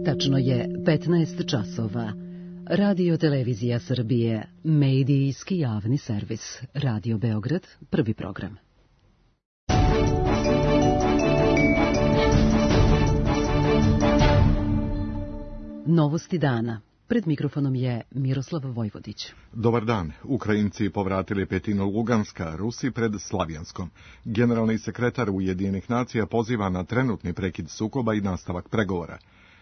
Tačno je 15 časova. Radio Televizija Srbije, medijski javni servis. Radio Beograd, prvi program. Novosti dana. Pred mikrofonom je Miroslav Vojvodić. Dobar dan. Ukrajinci povratili petinu Luganska, Rusi pred Slavjanskom. Generalni sekretar Ujedinjenih nacija poziva na trenutni prekid sukoba i nastavak pregovora.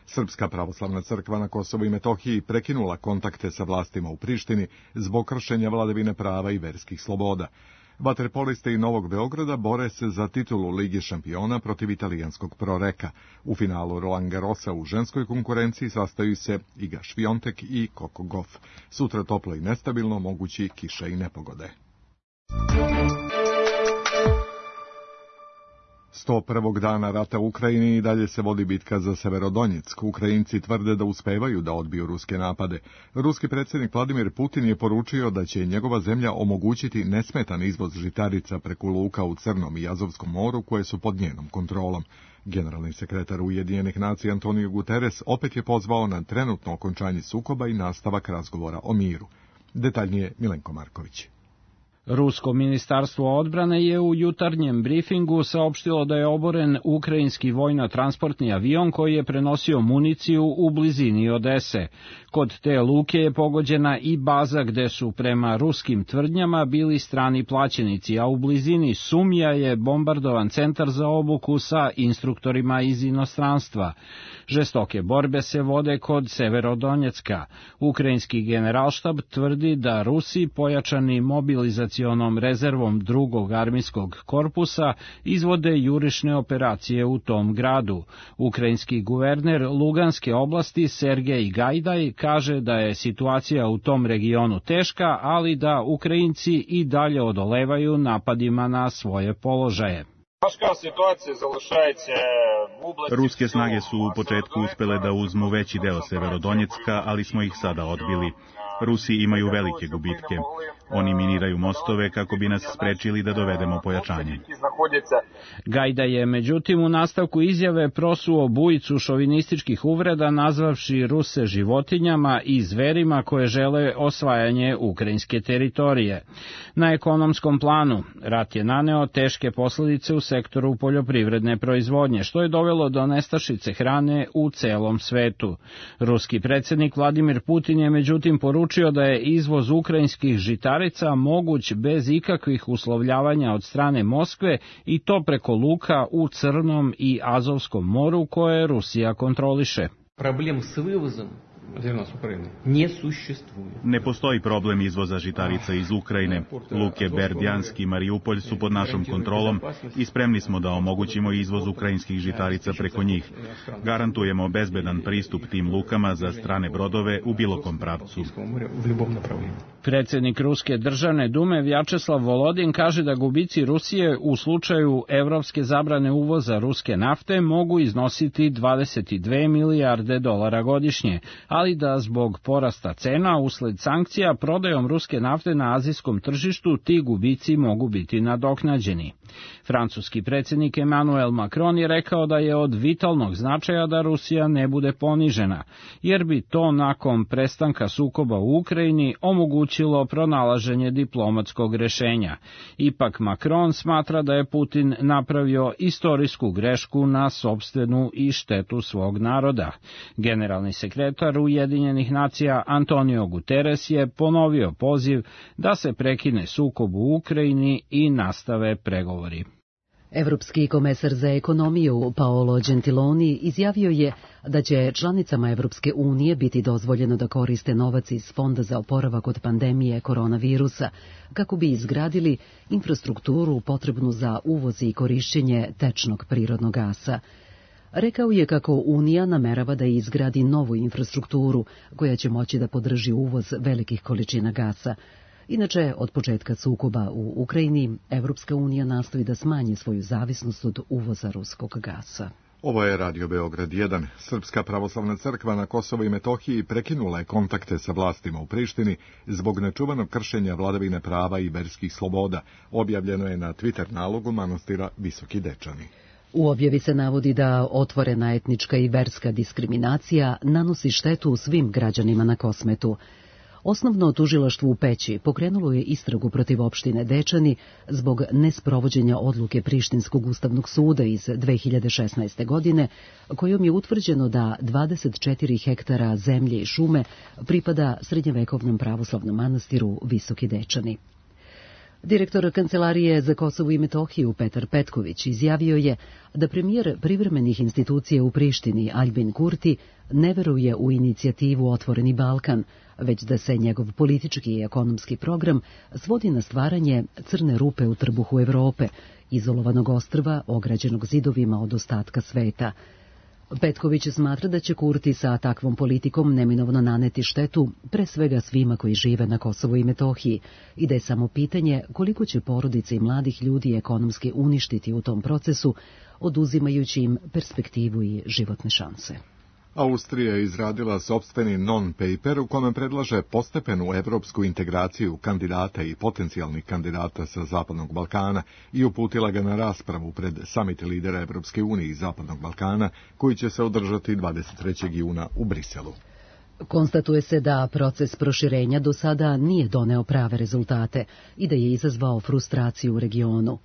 Srpska pravoslavna crkva na Kosovu i Metohiji prekinula kontakte sa vlastima u Prištini zbog kršenja vladavine prava i verskih sloboda. Vaterpolisti Novog Beograda bore se za titulu Lige šampiona protiv italijanskog Proreka. U finalu Roland Garrosa u ženskoj konkurenciji sastaju se Iga Šviontek i Coco Gauff. Sutra toplo i nestabilno, mogući kiša i nepogode. 101. dana rata u Ukrajini i dalje se vodi bitka za Severodonjeck. Ukrajinci tvrde da uspevaju da odbiju ruske napade. Ruski predsjednik Vladimir Putin je poručio da će njegova zemlja omogućiti nesmetan izvoz žitarica preko luka u Crnom i Azovskom moru koje su pod njenom kontrolom. Generalni sekretar Ujedinjenih nacija Antonio Guterres opet je pozvao na trenutno okončanje sukoba i nastavak razgovora o miru. Detaljnije Milenko Marković. Rusko ministarstvo odbrane je u jutarnjem brifingu saopštilo da je oboren ukrajinski vojno-transportni avion koji je prenosio municiju u blizini Odese. Kod te luke je pogođena i baza gde su prema ruskim tvrdnjama bili strani plaćenici, a u blizini Sumja je bombardovan centar za obuku sa instruktorima iz inostranstva. Žestoke borbe se vode kod Severodonjecka. Ukrajinski generalštab tvrdi da Rusi pojačani mobilizacionom rezervom drugog armijskog korpusa izvode jurišne operacije u tom gradu. Ukrajinski guverner Luganske oblasti Sergej Gajdaj kaže da je situacija u tom regionu teška, ali da Ukrajinci i dalje odolevaju napadima na svoje položaje. Ruske snage su u početku uspele da uzmu veći deo Severodonjecka, ali smo ih sada odbili. Rusi imaju velike gubitke. Oni miniraju mostove kako bi nas sprečili da dovedemo pojačanje. Gajda je međutim u nastavku izjave prosuo bujicu šovinističkih uvreda nazvavši Ruse životinjama i zverima koje žele osvajanje ukrajinske teritorije. Na ekonomskom planu rat je naneo teške posledice u sektoru poljoprivredne proizvodnje, što je dovelo do nestašice hrane u celom svetu. Ruski predsjednik Vladimir Putin je međutim poručio da je izvoz ukrajinskih žitarica moguć bez ikakvih uslovljavanja od strane Moskve i to preko luka u Crnom i Azovskom moru koje Rusija kontroliše. Problem s vivozom ne postoji problem izvoza žitarica iz Ukrajine. Luke Berdjansk i Mariupolj su pod našom kontrolom i spremni smo da omogućimo izvoz ukrajinskih žitarica preko njih. Garantujemo bezbedan pristup tim lukama za strane brodove u bilo kom pravcu. Predsjednik Ruske državne dume Vjačeslav Volodin kaže da gubici Rusije u slučaju evropske zabrane uvoza ruske nafte mogu iznositi 22 milijarde dolara godišnje, ali da zbog porasta cena usled sankcija prodajom ruske nafte na azijskom tržištu ti gubici mogu biti nadoknađeni. Francuski predsjednik Emmanuel Macron je rekao da je od vitalnog značaja da Rusija ne bude ponižena, jer bi to nakon prestanka sukoba u Ukrajini omogućilo pronalaženje diplomatskog rešenja. Ipak Macron smatra da je Putin napravio istorijsku grešku na sopstvenu i štetu svog naroda. Generalni sekretar Ujedinjenih nacija Antonio Guterres je ponovio poziv da se prekine sukob u Ukrajini i nastave pregovori. Evropski komesar za ekonomiju Paolo Gentiloni izjavio je da će članicama Evropske unije biti dozvoljeno da koriste novac iz Fonda za oporavak od pandemije koronavirusa kako bi izgradili infrastrukturu potrebnu za uvoz i korišćenje tečnog prirodnog gasa. Rekao je kako Unija namerava da izgradi novu infrastrukturu koja će moći da podrži uvoz velikih količina gasa. Inače, od početka sukoba u Ukrajini, Evropska unija nastoji da smanji svoju zavisnost od uvoza ruskog gasa. Ovo je Radio Beograd 1. Srpska pravoslavna crkva na Kosovu i Metohiji prekinula je kontakte sa vlastima u Prištini zbog nečuvanog kršenja vladavine prava i verskih sloboda. Objavljeno je na Twitter nalogu manastira Visoki Dečani. U objavi se navodi da otvorena etnička i verska diskriminacija nanosi štetu svim građanima na Kosmetu. Osnovno tužilaštvo u Peći pokrenulo je istragu protiv opštine Dečani zbog nesprovođenja odluke Prištinskog ustavnog suda iz 2016. godine, kojom je utvrđeno da 24 hektara zemlje i šume pripada srednjevekovnom pravoslavnom manastiru Visoki Dečani. Direktor Kancelarije za Kosovo i Metohiju Petar Petković izjavio je da premijer privremenih institucija u Prištini Aljbin Kurti ne veruje u inicijativu Otvoreni Balkan, već da se njegov politički i ekonomski program svodi na stvaranje crne rupe u trbuhu Evrope, izolovanog ostrva ograđenog zidovima od ostatka sveta. Petković smatra da će Kurti sa takvom politikom neminovno naneti štetu pre svega svima koji žive na Kosovu i Metohiji i da je samo pitanje koliko će porodice i mladih ljudi ekonomski uništiti u tom procesu, oduzimajući im perspektivu i životne šanse. Austrija je izradila sopstveni non-paper u kome predlaže postepenu evropsku integraciju kandidata i potencijalnih kandidata sa Zapadnog Balkana i uputila ga na raspravu pred samit lidera Evropske unije i Zapadnog Balkana, koji će se održati 23. juna u Briselu. Konstatuje se da proces proširenja do sada nije doneo prave rezultate i da je izazvao frustraciju u regionu.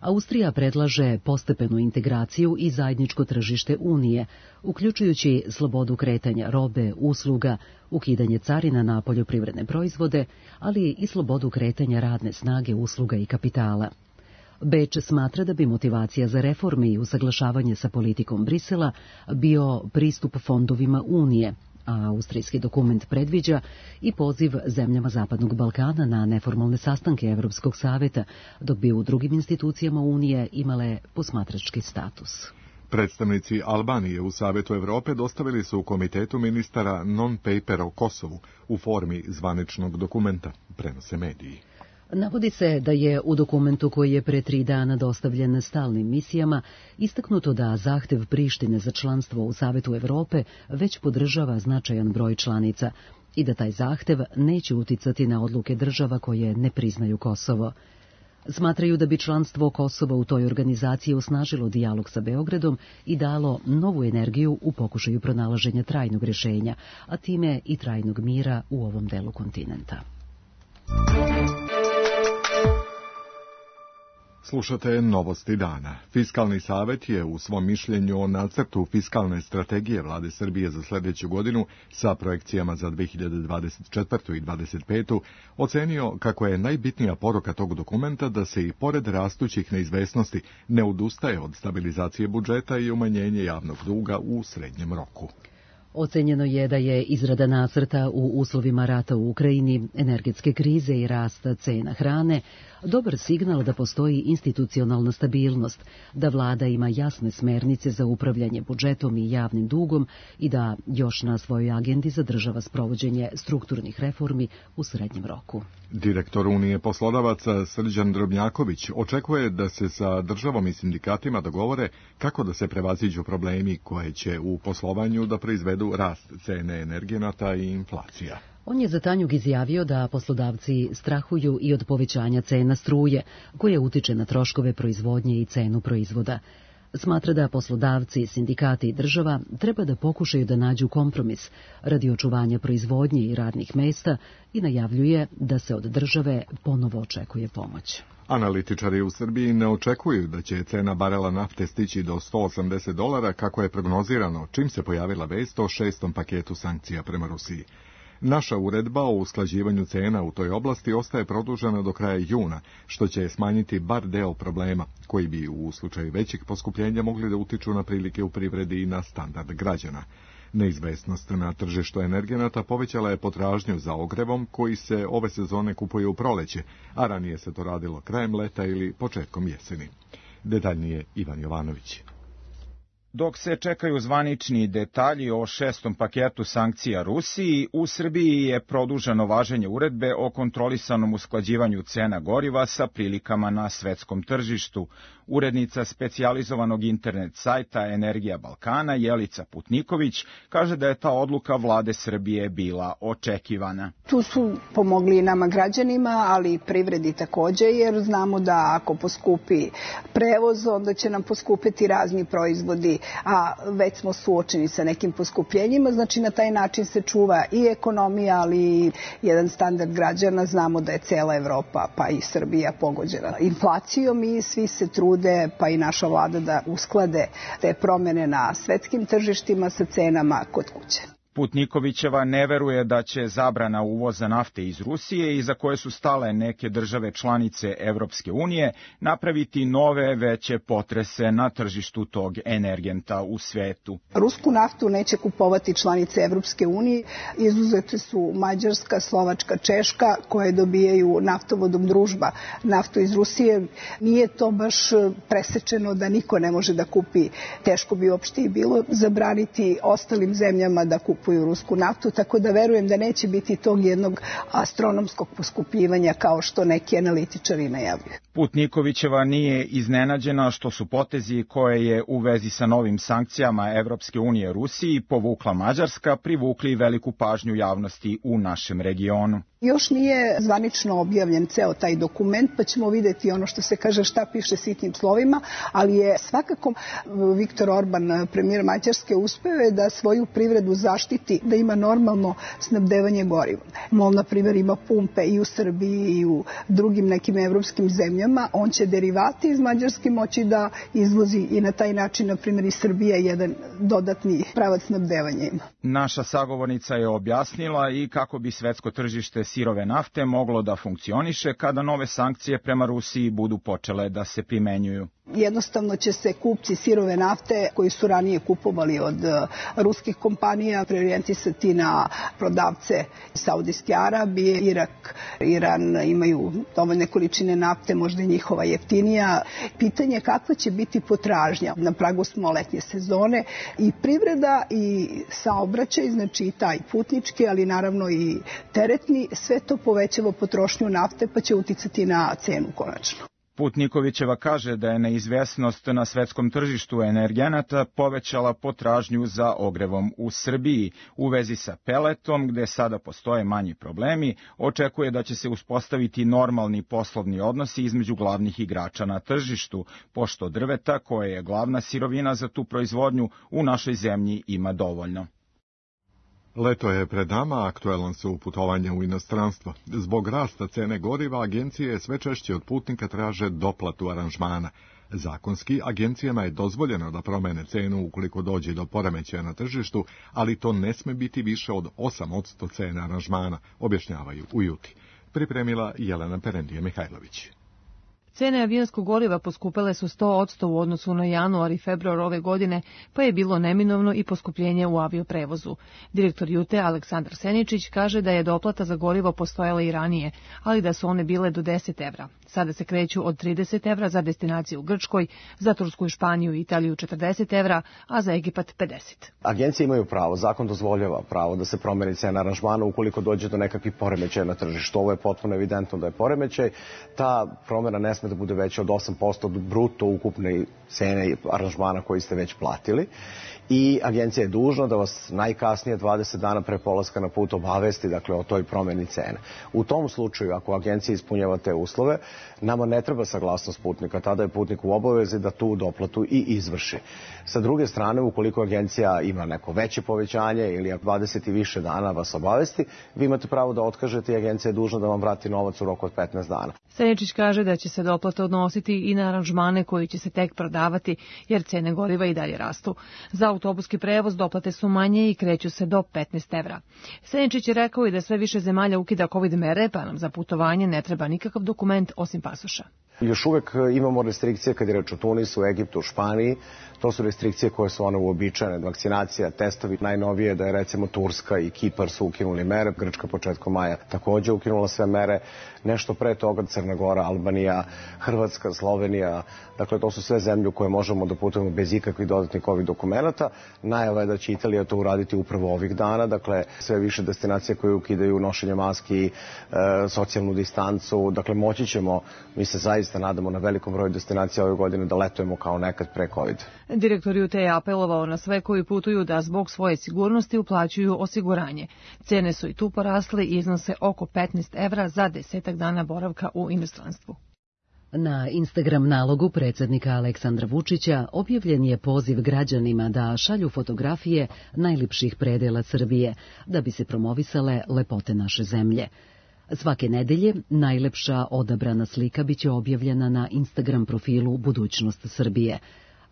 Austrija predlaže postepenu integraciju i zajedničko tržište Unije, uključujući slobodu kretanja robe, usluga, ukidanje carina na poljoprivredne proizvode, ali i slobodu kretanja radne snage, usluga i kapitala. Beč smatra da bi motivacija za reforme i usaglašavanje sa politikom Brisela bio pristup fondovima Unije, a austrijski dokument predviđa i poziv zemljama Zapadnog Balkana na neformalne sastanke Evropskog saveta, dok bi u drugim institucijama Unije imale posmatrački status. Predstavnici Albanije u Savetu Evrope dostavili su u Komitetu ministara non-paper o Kosovu u formi zvaničnog dokumenta, prenose mediji. Navodi se da je u dokumentu koji je pre 3 dana dostavljen stalnim misijama istaknuto da zahtev Prištine za članstvo u Savetu Evrope već podržava značajan broj članica i da taj zahtev neće uticati na odluke država koje ne priznaju Kosovo. Smatraju da bi članstvo Kosova u toj organizaciji osnažilo dijalog sa Beogradom i dalo novu energiju u pokušaju pronalaženja trajnog rješenja, a time i trajnog mira u ovom delu kontinenta. Slušate Novosti dana. Fiskalni savet je u svom mišljenju o nacrtu fiskalne strategije Vlade Srbije za sljedeću godinu sa projekcijama za 2024. i 2025. ocenio kako je najbitnija poruka tog dokumenta da se i pored rastućih neizvesnosti ne odustaje od stabilizacije budžeta i umanjenje javnog duga u srednjem roku. Ocenjeno je da je izrada nacrta u uslovima rata u Ukrajini, energetske krize i rasta cena hrane dobar signal da postoji institucionalna stabilnost, da vlada ima jasne smernice za upravljanje budžetom i javnim dugom i da još na svojoj agendi zadržava sprovođenje strukturnih reformi u srednjem roku. Direktor Unije poslodavaca Srđan Drobnjaković očekuje da se sa državom i sindikatima dogovore kako da se prevaziđu problemi koje će u poslovanju da proizvedu rast cene energenata i inflacija. On je za Tanjug izjavio da poslodavci strahuju i od povećanja cena struje, koje utiče na troškove proizvodnje i cenu proizvoda. Smatra da poslodavci, sindikati i država treba da pokušaju da nađu kompromis radi očuvanja proizvodnje i radnih mesta i najavljuje da se od države ponovo očekuje pomoć. Analitičari u Srbiji ne očekuju da će cena barela nafte stići do $180 kako je prognozirano čim se pojavila vest o 6. paketu sankcija prema Rusiji. Naša uredba o usklađivanju cena u toj oblasti ostaje produžena do kraja juna, što će smanjiti bar deo problema, koji bi u slučaju većih poskupljenja mogli da utiču na prilike u privredi i na standard građana. Neizvesnost na tržištu energenata povećala je potražnju za ogrevom koji se ove sezone kupuje u proleće, a ranije se to radilo krajem leta ili početkom jeseni. Detaljnije Ivan Jovanović. Dok se čekaju zvanični detalji o 6. paketu sankcija Rusiji, u Srbiji je produženo važenje uredbe o kontrolisanom usklađivanju cena goriva sa prilikama na svetskom tržištu. Urednica specijalizovanog internet sajta Energija Balkana, Jelica Putniković, kaže da je ta odluka vlade Srbije bila očekivana. Tu su pomogli i nama građanima, ali i privredi takođe, jer znamo da ako poskupi prevoz, onda će nam poskupiti razni proizvodi, a već smo suočeni sa nekim poskupljenjima, znači na taj način se čuva i ekonomija, ali i jedan standard građana. Znamo da je cela Evropa, pa i Srbija pogođena inflacijom i svi se trude, pa i naša vlada, da usklade te promene na svetskim tržištima sa cenama kod kuće. Putnikovićeva ne veruje da će zabrana uvoza nafte iz Rusije, iza koje su stale neke države članice Evropske unije, napraviti nove veće potrese na tržištu tog energenta u svetu. Rusku naftu neće kupovati članice Evropske unije. Izuzete su Mađarska, Slovačka, Češka, koje dobijaju naftovodom Družba naftu iz Rusije. Nije to baš presečeno da niko ne može da kupi. Teško bi uopšte i bilo zabraniti ostalim zemljama da kupuju rusku naftu, tako da verujem da neće biti tog jednog astronomskog poskupljivanja kao što neki analitičari najavljuju. Putnikovićeva nije iznenađena što su potezi koje je u vezi sa novim sankcijama Evropske unije Rusiji povukla Mađarska privukli veliku pažnju javnosti u našem regionu. Još nije zvanično objavljen ceo taj dokument, pa ćemo videti ono što se kaže šta piše sitnim slovima, ali je svakako Viktor Orban, premijer Mađarske, uspeo je da svoju privredu zaštiti, da ima normalno snabdevanje gorivom. MOL, na primjer, ima pumpe i u Srbiji i u drugim nekim evropskim zemljama. On će derivati iz Mađarske moći da izvozi i na taj način, na primjer, i Srbija jedan dodatni pravac snabdevanja ima. Naša sagovornica je objasnila i kako bi svetsko tržište sirove nafte moglo da funkcioniše kada nove sankcije prema Rusiji budu počele da se primenjuju. Jednostavno će se kupci sirove nafte koji su ranije kupovali od ruskih kompanija preorijentisati na prodavce Saudijske Arabije, Irak, Iran imaju dovoljne količine nafte, možda i njihova jeftinija. Pitanje je kakva će biti potražnja. Na pragu smo letnje sezone i privreda i saobraćaj, znači i taj putnički, ali naravno i teretni, sve to povećava potrošnju nafte pa će uticati na cenu konačno. Putnikovićeva kaže da je neizvesnost na svetskom tržištu energenata povećala potražnju za ogrevom u Srbiji. U vezi sa peletom, gde sada postoje manji problemi, očekuje da će se uspostaviti normalni poslovni odnosi između glavnih igrača na tržištu, pošto drveta, koje je glavna sirovina za tu proizvodnju, u našoj zemlji ima dovoljno. Leto je pred nama, aktuelan su putovanja u inostranstvo. Zbog rasta cene goriva, agencije sve češće od putnika traže doplatu aranžmana. Zakonski, agencijama je dozvoljeno da promene cenu ukoliko dođe do poremećaja na tržištu, ali to ne sme biti više od 8% cene aranžmana, objašnjavaju u Juti. Pripremila Jelena Perendije-Mihajlović. Cene avionskog goriva poskupele su 100% u odnosu na januar i februar ove godine, pa je bilo neminovno i poskupljenje u avioprevozu. Direktor Jute Aleksandar Seničić kaže da je doplata za gorivo postojala i ranije, ali da su one bile do 10 evra. Sada se kreću od 30 evra za destinaciju u Grčkoj, za Tursku, Španiju i Italiju 40 evra, a za Egipat 50. Agencije imaju pravo, zakon dozvoljava pravo da se promeni cena aranžmana ukoliko dođe do nekakvih poremećaja na tržištu. Ovo je potpuno evidentno da je poremećaj. Ta promjena ne sme da bude veća od 8% od bruto ukupne cene aranžmana koji ste već platili. I agencija je dužna da vas najkasnije 20 dana pre polaska na put obavesti, dakle, o toj promjeni cene. U tom slučaju, ako agencija ispunjava te uslove, nama ne treba saglasnost putnika, tada je putnik u obavezi da tu doplatu i izvrši. Sa druge strane, ukoliko agencija ima neko veće povećanje ili 20 i više dana vas obavesti, vi imate pravo da otkažete i agencija je dužna da vam vrati novac u roku od 15 dana. Seničić kaže da će se doplata odnositi i na aranžmane koji će se tek prodavati, jer cene goriva i dalje rastu. Za autobuski prevoz doplate su manje i kreću se do 15 evra. Seničić je rekao i da sve više zemalja ukida COVID mere, pa nam za putovanje ne treba nikakav dokument osim pasoša. Još uvek imamo restrikcije kad je reč o Tunisu, Egiptu, Španiji. To su restrikcije koje su one uobičajene. Vakcinacija, testovi. Najnovije da je recimo Turska i Kipar su ukinuli mere. Grčka početkom maja takođe ukinula sve mere. Nešto pre toga Crna Gora, Albanija, Hrvatska, Slovenija. Dakle, to su sve zemlje u koje možemo da putujemo bez ikakvih dodatnih COVID dokumenata. Najava je da će Italija to uraditi upravo ovih dana. Dakle, sve više destinacije koje ukidaju nošenje maski, socijalnu distancu. Dakle, moći ćemo, mi se zaista nadamo na velikom broju destinacija ove godine da letujemo kao nekad pre COVID. Direktor UT je apelovao na sve koji putuju da zbog svoje sigurnosti uplaćuju osiguranje. Cene su i tu porasle i iznose oko 15 evra za 10 dana boravka u inostranstvu. Na Instagram nalogu predsjednika Aleksandra Vučića objavljen je poziv građanima da šalju fotografije najljepših predela Srbije, da bi se promovisale lepote naše zemlje. Svake nedelje najlepša odabrana slika biće objavljena na Instagram profilu Budućnost Srbije.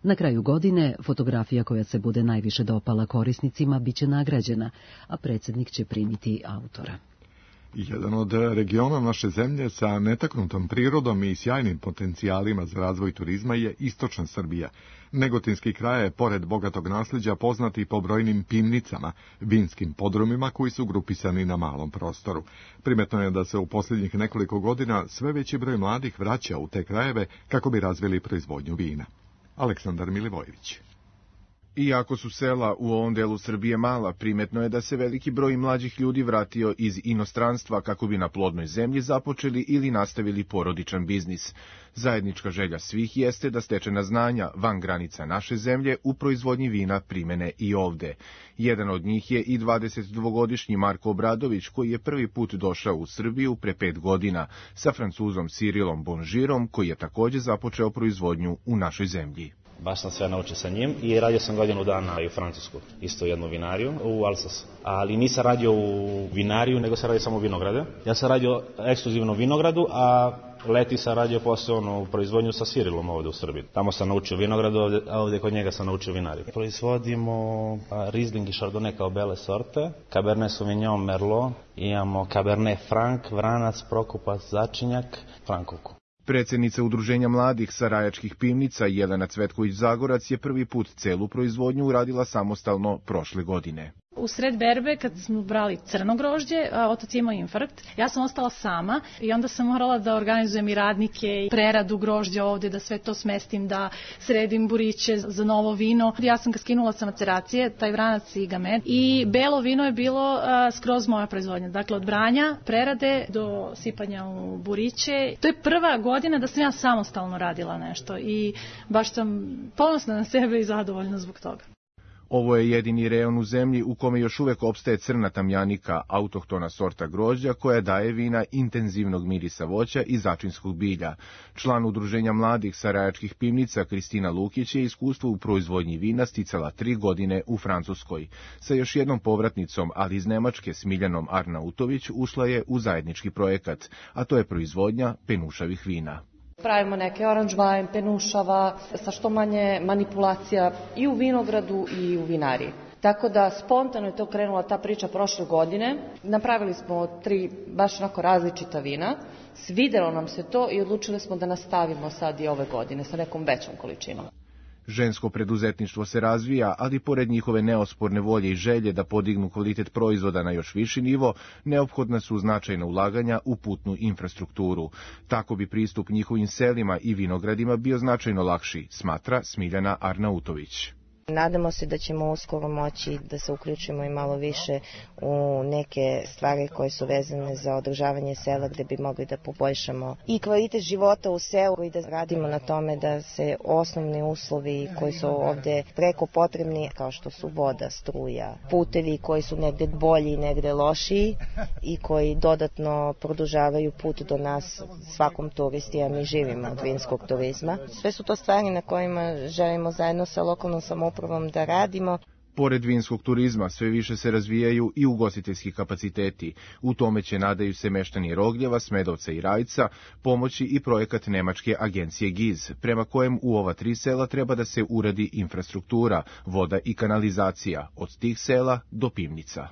Na kraju godine fotografija koja se bude najviše dopala korisnicima biće nagrađena, a predsjednik će primiti autora. Jedan od regiona naše zemlje sa netaknutom prirodom i sjajnim potencijalima za razvoj turizma je istočna Srbija. Negotinski kraj je, pored bogatog nasljeđa, poznati po brojnim pivnicama, vinskim podrumima koji su grupisani na malom prostoru. Primetno je da se u posljednjih nekoliko godina sve veći broj mladih vraća u te krajeve kako bi razvili proizvodnju vina. Aleksandar Milivojević. Iako su sela u ovom delu Srbije mala, primetno je da se veliki broj mlađih ljudi vratio iz inostranstva kako bi na plodnoj zemlji započeli ili nastavili porodičan biznis. Zajednička želja svih jeste da stečena znanja van granica naše zemlje u proizvodnji vina primene i ovde. Jedan od njih je i 22-godišnji Marko Obradović, koji je prvi put došao u Srbiju pre 5 godina sa Francuzom Cyrilom Bonžirom, koji je takođe započeo proizvodnju u našoj zemlji. Baš sam sve naučio sa njim i radio sam godinu dana i u Francusku, isto jednu vinariju, u Alsasu. Ali nisam radio u vinariju, nego sam radio samo vinograde. Ja sam radio ekskluzivno vinogradu, a leti sam radio posebno proizvodnju sa Cyrilom ovde u Srbiji. Tamo sam naučio vinogradu, a ovde kod njega sam naučio vinariju. Proizvodimo Riesling i Chardonnay kao bele sorte, Cabernet Sauvignon, Merlot, imamo Cabernet Franc, Vranac, Prokupac, Začinjak, Frankovku. Predsjednica Udruženja mladih Sarajačkih pivnica Jelena Cvetković-Zagorac je prvi put celu proizvodnju uradila samostalno prošle godine. U sred berbe, kad smo brali crno grožđe, otac je imao infarkt, ja sam ostala sama i onda sam morala da organizujem i radnike i preradu grožđa ovde, da sve to smestim, da sredim buriće za novo vino. Ja sam ga skinula sa maceracije, taj vranac i gamet, i belo vino je bilo skroz moja proizvodnja. Dakle, od branja, prerade do sipanja u buriće. To je prva godina da sam ja samostalno radila nešto i baš sam ponosna na sebe i zadovoljna zbog toga. Ovo je jedini rejon u zemlji u kome još uvek opstaje crna tamjanika, autohtona sorta grožđa koja daje vina intenzivnog mirisa voća i začinskog bilja. Član Udruženja mladih Sarajačkih pivnica Kristina Lukić je iskustvo u proizvodnji vina sticala 3 godine u Francuskoj. Sa još jednom povratnicom, ali iz Nemačke, Smiljanom Arnautović, ušla je u zajednički projekat, a to je proizvodnja penušavih vina. Pravimo neke orange wine, penušava, sa što manje manipulacija i u vinogradu i u vinariji. Tako da spontano je to krenula ta priča prošle godine. Napravili smo 3 baš onako različita vina, svidelo nam se to i odlučili smo da nastavimo sad i ove godine sa nekom većom količinom. Žensko preduzetništvo se razvija, ali pored njihove neosporne volje i želje da podignu kvalitet proizvoda na još viši nivo, neophodna su značajna ulaganja u putnu infrastrukturu. Tako bi pristup njihovim selima i vinogradima bio značajno lakši, smatra Smiljana Arnautović. Nadamo se da ćemo uskoro moći da se uključimo i malo više u neke stvari koje su vezane za održavanje sela, gde bi mogli da poboljšamo i kvalitet života u selu i da radimo na tome da se osnovni uslovi koji su ovde preko potrebni, kao što su voda, struja, putevi koji su negde bolji i negde lošiji i koji dodatno produžavaju put do nas svakom turisti, a mi živimo od vinskog turizma. Sve su to stvari na kojima želimo zajedno sa lokalnom samoupravom da radimo. Pored vinskog turizma sve više se razvijaju i ugostiteljski kapaciteti. U tome će, nadaju se meštani Rogljeva, Smedovca i Rajca, pomoći i projekat nemačke agencije GIZ, prema kojem u ova 3 sela treba da se uradi infrastruktura, voda i kanalizacija, od tih sela do pivnica.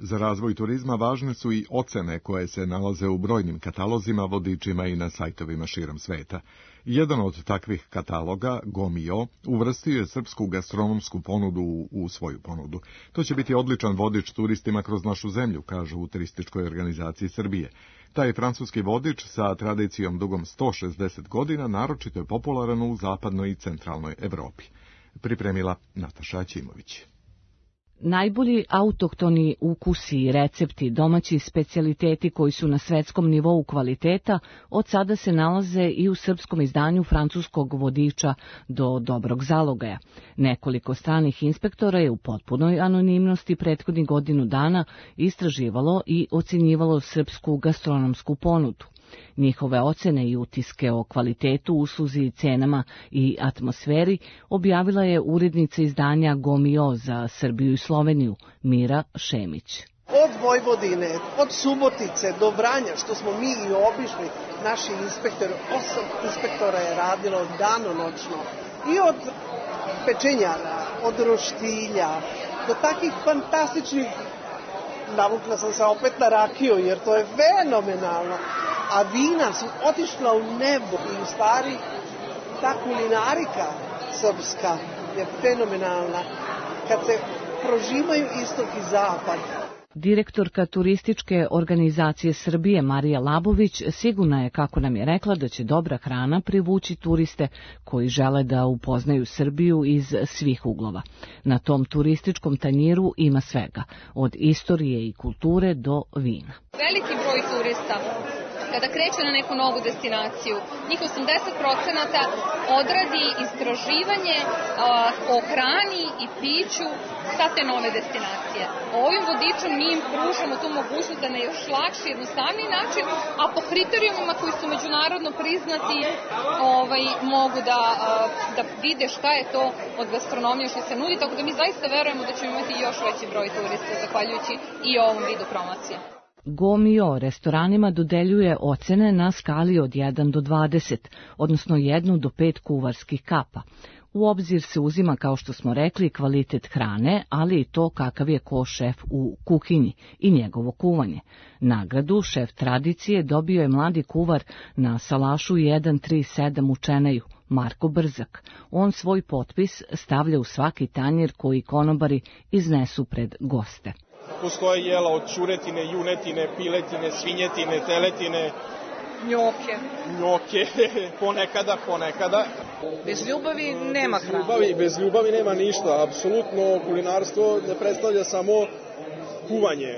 Za razvoj turizma važne su i ocene koje se nalaze u brojnim katalozima, vodičima i na sajtovima širom sveta. Jedan od takvih kataloga, Gomio, uvrstio je srpsku gastronomsku ponudu u svoju ponudu. To će biti odličan vodič turistima kroz našu zemlju, kažu u Turističkoj organizaciji Srbije. Taj francuski vodič sa tradicijom dugom 160 godina naročito je popularan u zapadnoj i centralnoj Evropi. Pripremila Nataša Ćimović. Najbolji autohtoni ukusi i recepti, domaći specijaliteti koji su na svetskom nivou kvaliteta, od sada se nalaze i u srpskom izdanju francuskog vodiča do dobrog zalogaja. Nekoliko stranih inspektora je u potpunoj anonimnosti prethodnih godinu dana istraživalo i ocenjivalo srpsku gastronomsku ponudu. Njihove ocene i utiske o kvalitetu, usluzi i cenama i atmosferi objavila je urednica izdanja Gomio za Srbiju i Sloveniju, Mira Šemić. Od Vojvodine, od Subotice do Vranja, što smo mi i obišli, naši inspektori, 8 inspektora je radilo danonoćno. I od pečenjara, od roštilja, do takih fantastičnih, navukla sam se opet na rakiju, jer to je fenomenalno. A vina su otišla u nebo i u stvari ta kulinarika srpska je fenomenalna kad se prožimaju istok i zapad. Direktorka Turističke organizacije Srbije Marija Labović sigurna je, kako nam je rekla, da će dobra hrana privući turiste koji žele da upoznaju Srbiju iz svih uglova. Na tom turističkom tanjiru ima svega, od istorije i kulture do vina. Veliki broj turista kada kreće na neku novu destinaciju, njih 80% odradi istraživanje o hrani i piću sa te nove destinacije. Ovim vodičom mi im pružamo tu mogućnost da na još lakši, jednostavniji način, a po kriterijumima koji su međunarodno priznati mogu da vide šta je to od gastronomije što se nudi, tako da mi zaista verujemo da ćemo imati još veći broj turista zahvaljujući i ovom vidu promocije. Gomio restoranima dodeljuje ocene na skali od 1 do 20, odnosno 1 do 5 kuvarskih kapa. U obzir se uzima, kao što smo rekli, kvalitet hrane, ali i to kakav je ko šef u kuhinji i njegovo kuvanje. Nagradu šef tradicije dobio je mladi kuvar na salašu 137 u Čeneju, Marko Brzak. On svoj potpis stavlja u svaki tanjir koji konobari iznesu pred goste. Postoje jela od čuretine, junetine, piletine, svinjetine, teletine, njoke, ponekada. Bez ljubavi nema hrane. Bez ljubavi nema ništa. Apsolutno kulinarstvo ne predstavlja samo kuvanje.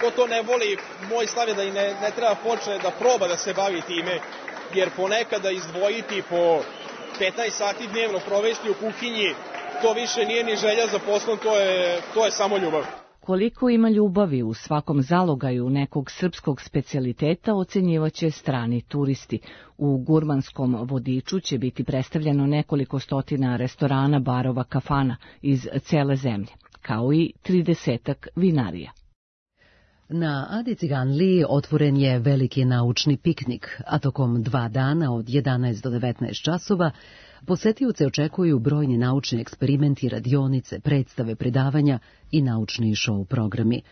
Ko to ne voli, moj stav je da i ne treba počne da proba da se bavi time, jer ponekada izdvojiti po 15 sati dnevno provesti u kuhinji, to više nije ni želja za poslom, to je samo ljubav. Koliko ima ljubavi u svakom zalogaju nekog srpskog specijaliteta ocenjivaće strani turisti. U gurmanskom vodiču će biti predstavljeno nekoliko stotina restorana, barova, kafana iz cele zemlje, kao i 30-ak vinarija. Na Adi Ciganliji otvoren je veliki naučni piknik, a tokom 2 dana od 11 do 19 časova posetioce očekuju brojni naučni eksperimenti, radionice, predstave, predavanja i naučni show programi.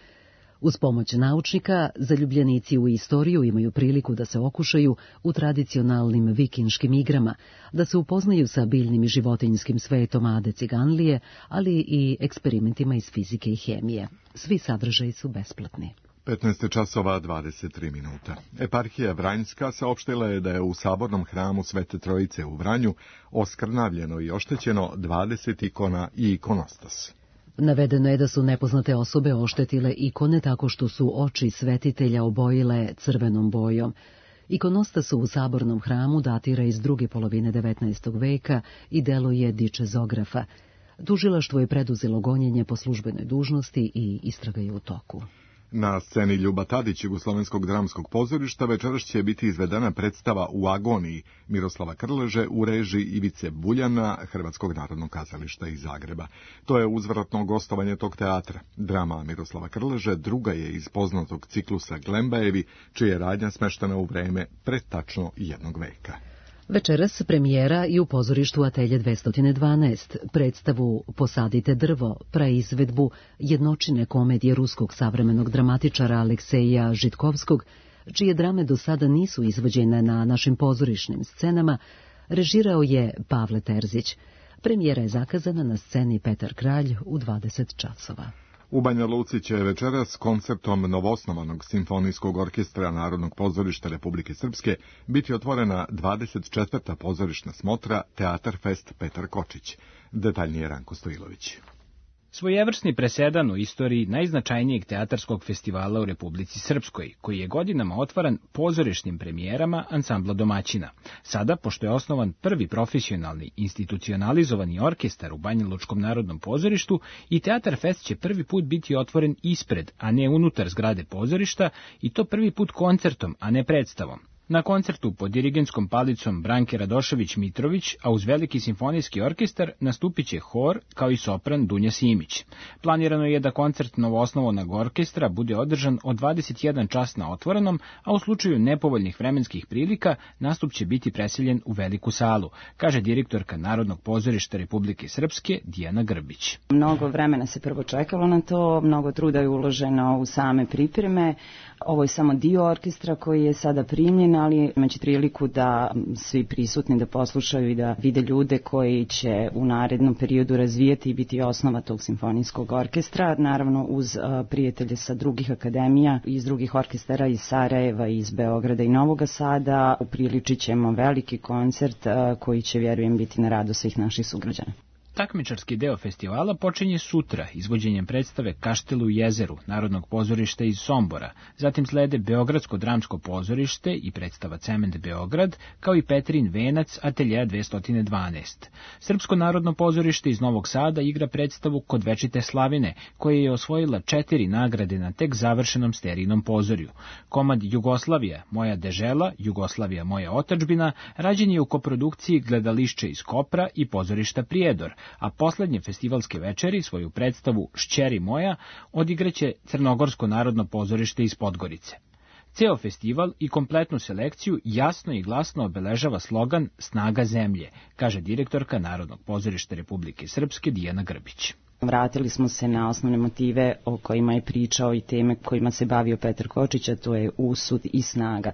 Uz pomoć naučnika, zaljubljenici u istoriju imaju priliku da se okušaju u tradicionalnim vikinškim igrama, da se upoznaju sa biljnim i životinjskim svetom Ade Ciganlije, ali i eksperimentima iz fizike i hemije. Svi sadržaji su besplatni. 15 časova 23 minuta. Eparhija Vranjska saopštila je da je u sabornom hramu Svete Trojice u Vranju oskrnavljeno i oštećeno 20 ikona i ikonostas. Navedeno je da su nepoznate osobe oštetile ikone tako što su oči svetitelja obojile crvenom bojom. Ikonostas u sabornom hramu datira iz druge polovine 19. veka i deluje dičezografa. Tužilaštvo je preduzelo gonjenje po službenoj dužnosti i istraga je u toku. Na sceni Ljuba Tadić Jugoslovenskog dramskog pozorišta večeras će biti izvedena predstava U agoniji Miroslava Krleže u režiji Ivice Buljana Hrvatskog narodnog kazališta iz Zagreba. To je uzvratno gostovanje tog teatra. Drama Miroslava Krleže druga je iz poznatog ciklusa Glembajevi, čija je radnja smeštena u vreme pred tačno 1 veka. Večeras premijera i u pozorištu Atelje 212, predstavu Posadite drvo, praizvedbu jednočine komedije ruskog savremenog dramatičara Alekseja Žitkovskog, čije drame do sada nisu izvođene na našim pozorišnim scenama, režirao je Pavle Terzić. Premijera je zakazana na sceni Petar Kralj u 20 časova. U Banja Luci će večeras koncertom novoosnovanog simfonijskog orkestra Narodnog pozorišta Republike Srpske biti otvorena 24. pozorišna smotra Teatar Fest Petar Kočić. Detaljnije Ranko Stojilović. Svojevrsni presedan u istoriji najznačajnijeg teatarskog festivala u Republici Srpskoj, koji je godinama otvaran pozorišnim premijerama ansambla domaćina. Sada, pošto je osnovan prvi profesionalni institucionalizovani orkestar u Banjalučkom narodnom pozorištu, i Teatar Fest će prvi put biti otvoren ispred, a ne unutar zgrade pozorišta, i to prvi put koncertom, a ne predstavom. Na koncertu pod dirigentskom palicom Branke Radošević-Mitrović, a uz veliki simfonijski orkestar, nastupit će hor kao i sopran Dunja Simić. Planirano je da koncert novoosnovanog orkestra bude održan od 21 čas na otvorenom, a u slučaju nepovoljnih vremenskih prilika nastup će biti preseljen u veliku salu, kaže direktorka Narodnog pozorišta Republike Srpske Dijana Grbić. Mnogo vremena se prvo čekalo na to, mnogo truda je uloženo u same pripreme. Ovo je samo dio orkestra koji je sada primljen, ali imaće priliku da svi prisutni da poslušaju i da vide ljude koji će u narednom periodu razvijati i biti osnova tog simfonijskog orkestra, naravno uz prijatelje sa drugih akademija, iz drugih orkestara iz Sarajeva, iz Beograda i Novog Sada. Upriličit ćemo veliki koncert koji će, vjerujem, biti na radost svih naših sugrađana. Takmičarski deo festivala počinje sutra izvođenjem predstave Kaštel u jezeru Narodnog pozorišta iz Sombora, zatim slede Beogradsko dramsko pozorište i predstava Cement Beograd, kao i Petrin venac Ateljeja 212. Srpsko narodno pozorište iz Novog Sada igra predstavu Kod večite slavine, koja je osvojila 4 nagrade na tek završenom sterijnom pozorju. Komad Jugoslavija, moja dežela, Jugoslavija, moja otadžbina, rađen je u koprodukciji Gledališće iz Kopra i pozorišta Prijedor, a poslednje festivalske večeri svoju predstavu Šćeri moja odigraće Crnogorsko narodno pozorište iz Podgorice. Ceo festival i kompletnu selekciju jasno i glasno obeležava slogan Snaga zemlje, kaže direktorka Narodnog pozorišta Republike Srpske Dijana Grbić. Vratili smo se na osnovne motive o kojima je pričao i teme kojima se bavio Petar Kočić, a to je usud i snaga.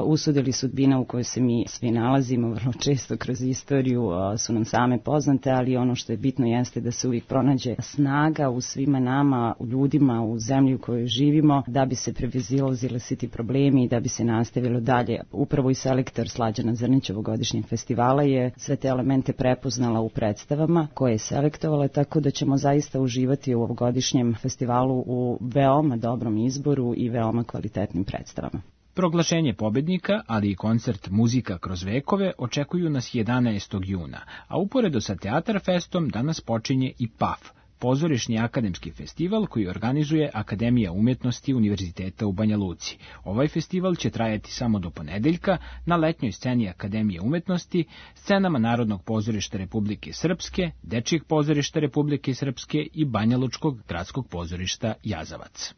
Usud ili sudbina u kojoj se mi svi nalazimo, vrlo često kroz istoriju su nam same poznate, ali ono što je bitno jeste da se uvijek pronađe snaga u svima nama, u ljudima, u zemlji u kojoj živimo, da bi se previzilazili svi ti problemi i da bi se nastavilo dalje. Upravo i selektor Slađana Zrnić ovogodišnjeg festivala je sve te elemente prepoznala u predstavama koje je selektovala, tako da ćemo zaista uživati u ovogodišnjem festivalu u veoma dobrom izboru i veoma kvalitetnim predstavama. Proglašenje pobednika, ali i koncert Muzika kroz vekove očekuju nas 11. juna, a uporedo sa Teatar Festom danas počinje i PAF, pozorišni akademski festival koji organizuje Akademija umetnosti Univerziteta u Banja Luci. Ovaj festival će trajati samo do ponedeljka na letnjoj sceni Akademije umetnosti, scenama Narodnog pozorišta Republike Srpske, Dečijeg pozorišta Republike Srpske i Banjalučkog gradskog pozorišta Jazavac.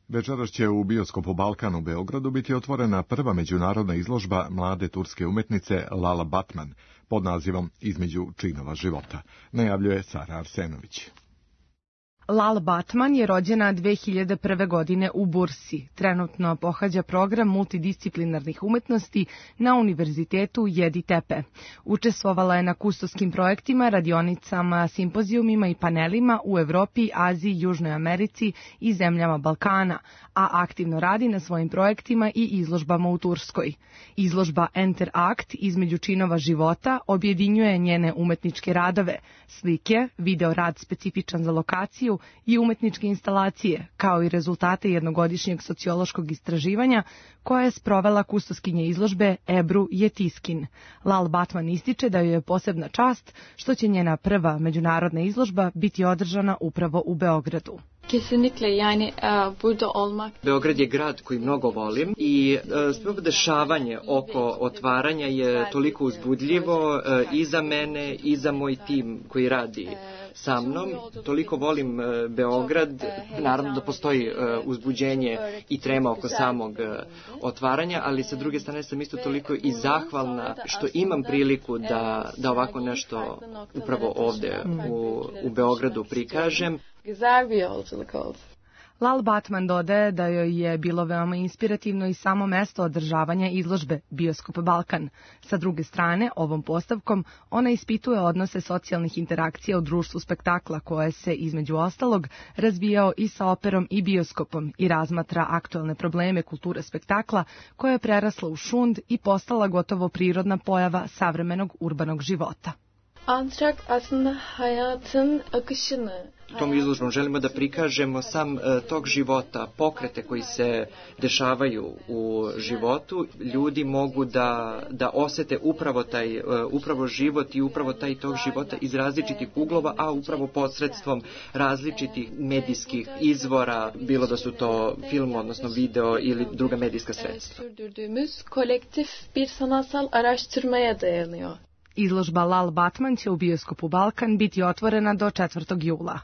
Večeras će u bioskopu Balkan u Beogradu biti otvorena prva međunarodna izložba mlade turske umetnice Lala Batman pod nazivom Između činova života, najavljuje Sara Arsenović. Lala Batman je rođena 2001. godine u Bursi. Trenutno pohađa program multidisciplinarnih umetnosti na Univerzitetu Jedi Tepe. Učestvovala je na kustoskim projektima, radionicama, simpozijumima i panelima u Evropi, Aziji, Južnoj Americi i zemljama Balkana, a aktivno radi na svojim projektima i izložbama u Turskoj. Izložba Enter Act Između činova života objedinjuje njene umetničke radove, slike, video rad specifičan za lokaciju i umetničke instalacije, kao i rezultate jednogodišnjeg sociološkog istraživanja koje je sprovela kustoskinja izložbe Ebru Jetiskin. Lal Batman ističe da joj je posebna čast što će njena prva međunarodna izložba biti održana upravo u Beogradu. Beograd je grad koji mnogo volim i sve dešavanje oko otvaranja je toliko uzbudljivo i za mene i za moj tim koji radi sa mnom. Toliko volim Beograd, naravno da postoji uzbuđenje i trema oko samog otvaranja, ali sa druge strane sam isto toliko i zahvalna što imam priliku da ovako nešto upravo ovde u Beogradu prikažem. Lal Batman dodaje da joj je bilo veoma inspirativno i samo mesto održavanja izložbe Bioskop Balkan. Sa druge strane, ovom postavkom ona ispituje odnose socijalnih interakcija u društvu spektakla koje se, između ostalog, razvijao i sa operom i bioskopom i razmatra aktuelne probleme kulture spektakla koja je prerasla u šund i postala gotovo prirodna pojava savremenog urbanog života. Antrak aslında hayatın akışını. Tom izložbom želimo da prikažemo sam tok života, pokrete koji se dešavaju u životu. Ljudi mogu da osete upravo život i upravo taj tok života iz različitih uglova, a upravo posredstvom različitih medijskih izvora, bilo da su to film, odnosno video ili druga medijska sredstva. Kolektif bir sanatsal araştırmaya dayanıyor. Izložba Lal Batman će u Bioskopu Balkan biti otvorena do 4. jula.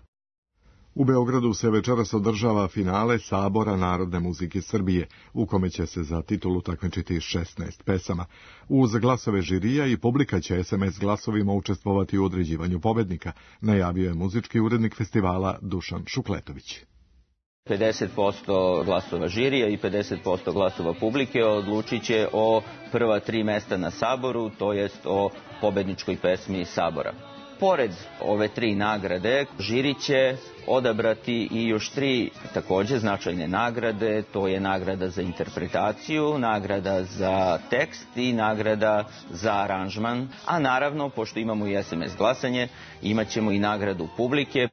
U Beogradu se večeras održava finale Sabora narodne muzike Srbije, u kome će se za titulu takmičiti 16 pesama. Uz glasove žirija i publika će SMS glasovima učestvovati u određivanju pobednika, najavio je muzički urednik festivala Dušan Šukletović. 50% glasova žirija i 50% glasova publike odlučit će o prva 3 mesta na Saboru, to jest o pobedničkoj pesmi Sabora. Pored ove 3 nagrade, žiri će odabrati i još 3 takođe značajne nagrade, to je nagrada za interpretaciju, nagrada za tekst i nagrada za aranžman, a naravno, pošto imamo i SMS glasanje, imat ćemo i nagradu publike.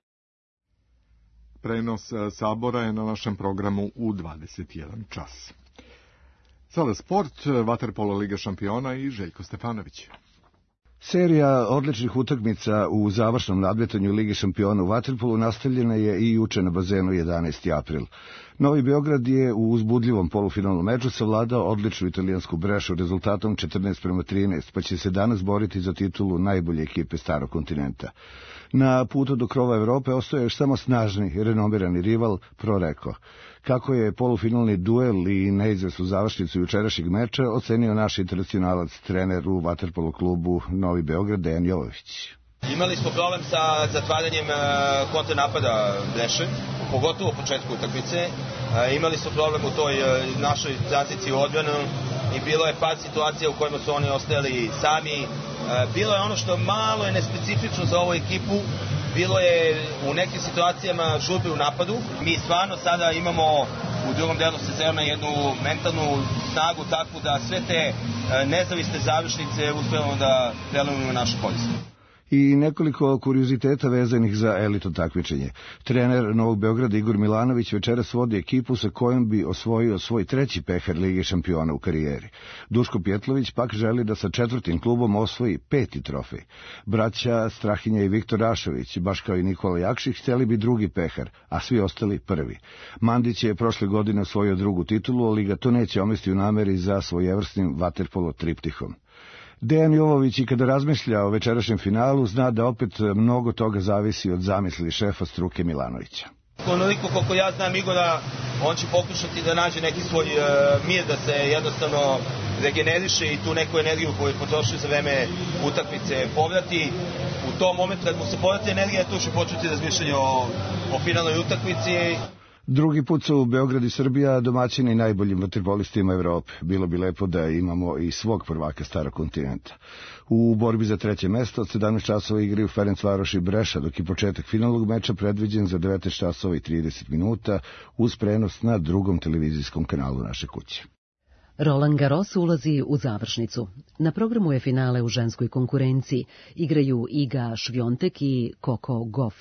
Prenos Sabora je na našem programu u 21 čas. Sada sport, vaterpolo Liga šampiona i Željko Stefanović. Serija odličnih utakmica u završnom nadmetanju Lige šampiona u vaterpolu nastavljena je i juče na bazenu 11. april. Novi Beograd je u uzbudljivom polufinalnom meču savladao odličnu italijansku Brešu rezultatom 14:13, pa će se danas boriti za titulu najbolje ekipe starog kontinenta. Na putu do krova Evrope ostaje još samo snažni, renomirani rival Proreko. Kako je polufinalni duel i neizvesnu završnicu jučerašnjeg meča ocenio naš internacionalac, trener u vaterpolo klubu Novi Beograd, Dejan Jovović. Imali smo problem sa zatvaranjem kontranapada Breše, pogotovo u početku utakmice. Imali smo problem u toj našoj tranziciji u odbranu i bilo je par situacija u kojima su oni ostajali sami. Bilo je ono što malo je nespecifično za ovu ekipu, bilo je u nekim situacijama žurbe u napadu. Mi stvarno sada imamo u drugom delu sezona jednu mentalnu snagu takvu da sve te nezavisne završnice uspevamo da prelomimo u našu korist. I nekoliko kurioziteta vezanih za elitno takmičenje. Trener Novog Beograda Igor Milanović večeras vodi ekipu sa kojom bi osvojio svoj 3. pehar Lige šampiona u karijeri. Duško Pjetlović pak želi da sa 4. klubom osvoji 5. trofej. Braća Strahinja i Viktor Rašović, baš kao i Nikola Jakšić, hteli bi 2. pehar, a svi ostali 1. Mandić je prošle godine osvojio 2. titulu, ali ga to neće omesti u nameri za svojevrsnim vaterpolo triptihom. Dejan Jovović i kada razmišlja o večerašnjem finalu zna da opet mnogo toga zavisi od zamisli šefa struke Milanovića. Onoliko koliko ja znam Igora, on će pokušati da nađe neki svoj mir, da se jednostavno regeneriše i tu neku energiju koju je potrošio za vreme utakmice povrati. U tom momentu kad mu se povrati energija, tu će početi razmišljanje o finalnoj utakmici. Drugi put su Beograd i Srbija domaćini najboljim vaterpolistima Evrope. Bilo bi lepo da imamo i svog prvaka starog kontinenta. U borbi za 3. mesto od 17 časova igraju Ferencvaroš i Breša, dok je početak finalnog meča predviđen za 19 časova i 30 minuta uz prenos na drugom televizijskom kanalu naše kuće. Roland Garros ulazi u završnicu. Na programu je finale u ženskoj konkurenciji. Igraju Iga Švjontek i Coco Gauff.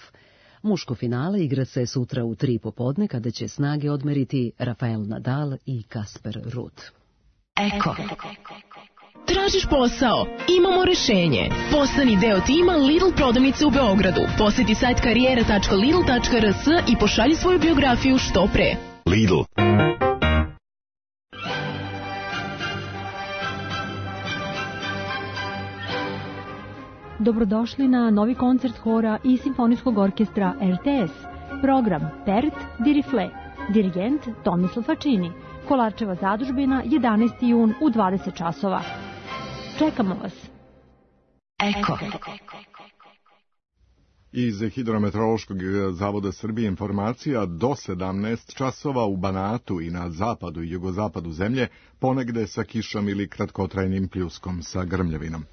Muško finale igra se sutra u 3 popodne kada će snage odmeriti Rafael Nadal i Kasper Ruud. Eko. Tražiš posao? Imamo rešenje. Postani deo tima Lidl prodavnice u Beogradu. Poseti sajt karijera.lidl.rs i pošalji svoju biografiju što pre. Lidl. Dobrodošli na novi koncert hora i simfonijskog orkestra RTS. Program Pert Dirifle. Dirigent Tomislav Fačini. Kolarčeva zadužbina, 11. jun u 20 časova. Čekamo vas. Eko. Iz Hidrometeorološkog zavoda Srbije informacija: do 17 časova u Banatu i na zapadu i jugozapadu zemlje ponegde sa kišom ili kratkotrajnim pljuskom sa grmljavinom.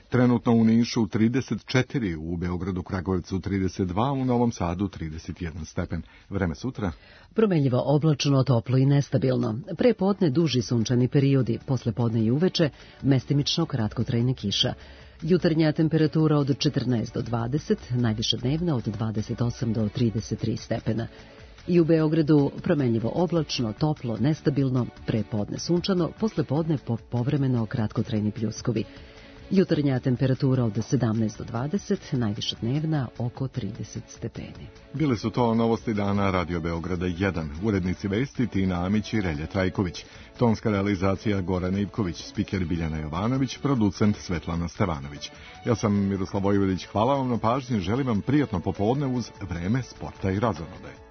Trenutno u Nišu 34, u Beogradu, Kragujevcu 32, u Novom Sadu 31 stepen. Vreme sutra? Promenljivo, oblačno, toplo i nestabilno. Pre podne duži sunčani periodi, posle podne i uveče mestimično kratkotrajne kiša. Jutarnja temperatura od 14 do 20, najviša dnevna od 28 do 33 stepena. I u Beogradu promenljivo oblačno, toplo, nestabilno, pre podne sunčano, posle podne povremeno kratkotrajni pljuskovi. Jutarnja temperatura od 17 do 20, najviša dnevna oko 30 stepeni. Bile su to novosti dana Radio Beograda 1. Urednici vesti Tina Amić i Relje Trajković. Tonska realizacija Goran Ivković, spiker Biljana Jovanović, producent Svetlana Stevanović. Ja sam Miroslav Vojvodić, hvala vam na pažnji, želim vam prijatno popodne uz Vreme, sporta i razonode.